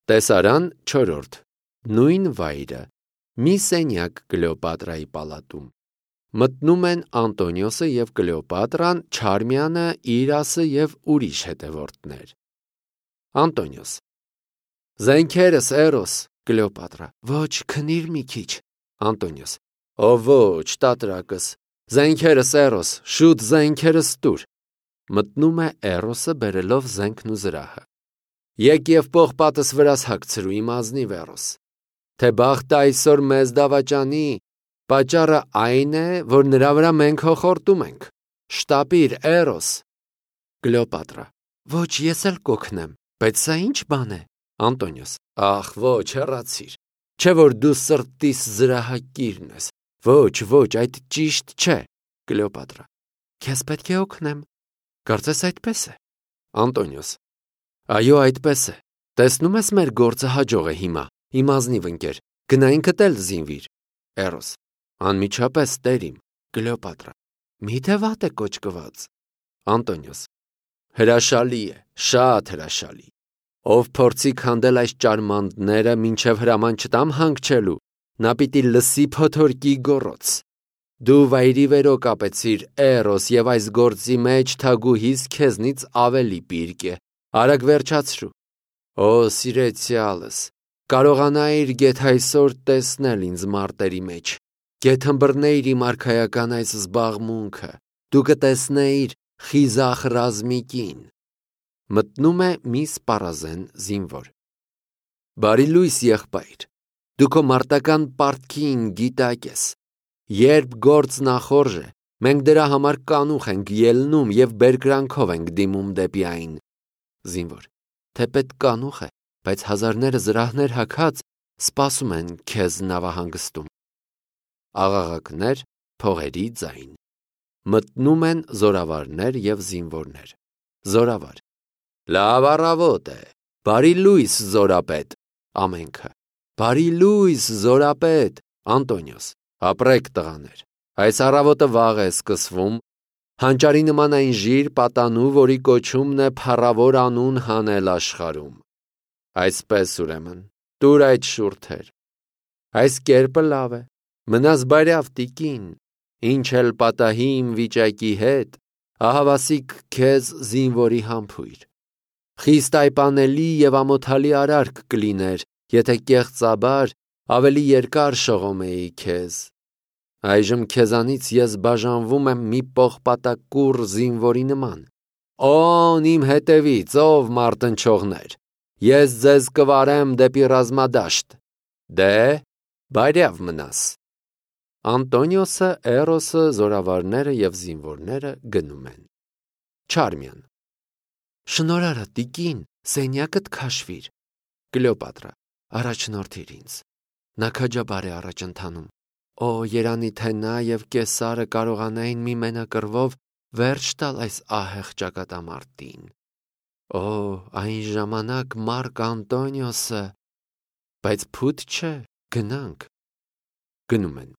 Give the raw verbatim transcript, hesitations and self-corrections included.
Տեսարան չորրորդ Նույն վայրը մի սենյակ Կլեոպատրայի պալատում մտնում են Անտոնիոսը և Կլեոպատրան, Չարմյանը, Իրասը և ուրիշ հետևորդներ։ Անտոնիոս. Զենքերս, Էրոս։ Կլեոպատրա. Ոչ, քնիր մի քիչ։ Անտոնիոս. Ո ոչ, տատրակս, զենքերս, Էրոս, շուտ զենքերս տուր։ Մտնում է Էրոսը բերելով զենքն ու զրահը։ Եկ և պողպատս վրաս հագցրու իմ ազնիվ Էրոս, թե բախտը այսօր մեզ դավաճանի, պատճառը այն է, որ նրա վրա մենք հոխորտում ենք։ Շտապիր, Էրոս։ Կլեոպատրա. Ոչ, ես էլ կօգնեմ, բայց սա ինչ բան է։ Անտոնիոս. Ախ, ոչ, հեռացիր, չէ որ դու սրտիս զրահակիրն ես։ Ոչ, ոչ, այդ ճիշտ չէ։ Կլեոպատրա. Քեզ պետք է օգնեմ։ Կարծես այդպես է։ Անտոնիոս. Այո, այդպես է։ Տեսնում ես մեր գործը հաջող է հիմա, իմ ազնիվ ընկեր, գնա ինքդ էլ զինվիր։ Էրոս. Անմիջապես տերիմ։ Կլեոպատրա. Միթե վատ է կոճկված։ Անտոնիոս. Հրաշալի է, շատ հրաշալի։ Ով փորձի քանդել այս ճարմանտները մինչև հրաման չտամ հանգչելու, նա պիտի լսի փոթորկի գոռոց։ Դու վայրի վերո կապեցիր, Էրոս, և այս գործի մեջ թագուհիս քեզնից ավելի պիրկ է։ Արագ վերջացրու։ Օ, սիրեցյալս, կարողանայիր գեթ այսօր տեսնել ինձ մարտերի մեջ, գեթ հմբռնեիր իմ արքայական այս զբաղմունքը, դու կտեսնեիր խիզախ ռազմիկին։ Մտնում է մի սպառազեն զինվոր։ Բարի լույս, եղբայր, դու քո մարտական պարտքին գիտակ ես։ Երբ գործ նախորժ է, մենք դրա համար կանուխ ենք ելնում և բերկրանքով ենք դիմում դեպի այն։ Զինվոր. Թեպետ կանուխ է, բայց հազարները զրահներ հագած սպասում են քեզ նավահանգստում։ Աղաղակներ, փողերի ձայն։ Մտնում են զորավարներ և զինվորներ։ Զորավար. Լավ առավոտ է, բարի լույս, զորապետ։ Ամենքը. Բարի լույս, զորապետ։ Անտոնիոս. Ապրեք տղաներ, այս առավոտը վաղ է սկսվում, հանճարի նման այն ժիր պատանու, որի կոչումն է փառավոր անուն հանել աշխարհում։ Այսպես ուրեմն, տուր այդ շուրթեր։ Այս կերպը լավ է, մնաս բարյավ տիկին, ինչ էլ պատահի իմ վիճակի հետ, ահավասիկ քեզ զինվորի համբույր։ Խիստ այպանելի և ամոթալի արարք կլիներ, եթե կեղծաբար ավելի երկար շողոմեի քեզ։ Այժմ քեզանից ես բաժանվում եմ մի պողպատակուռ զինվորի նման։ Օն իմ հետևից, ով մարտնչողներ, ես ձեզ կվարեմ դեպի ռազմադաշտ։ Դե, բարյավ մնաս։ Անտոնիոսը, Էրոսը, զորավարները և զինվորները գնում են։ Չարմյան. Շնորհարը, տիկին, սենյակդ քաշվիր։ Կլեոպատրա. Առաջնորդիր ինձ։ Նա քաջաբար է առաջ ընթանում։ Օ, երանի թե նա և Կեսարը կարողանային մի մենակռվով վերջ տալ այս ահեղ ճակատամարտին։ Օ, այն ժամանակ Մարկ Անտոնիոսը, բայց փութ չէ, գնանք։ Գնում են։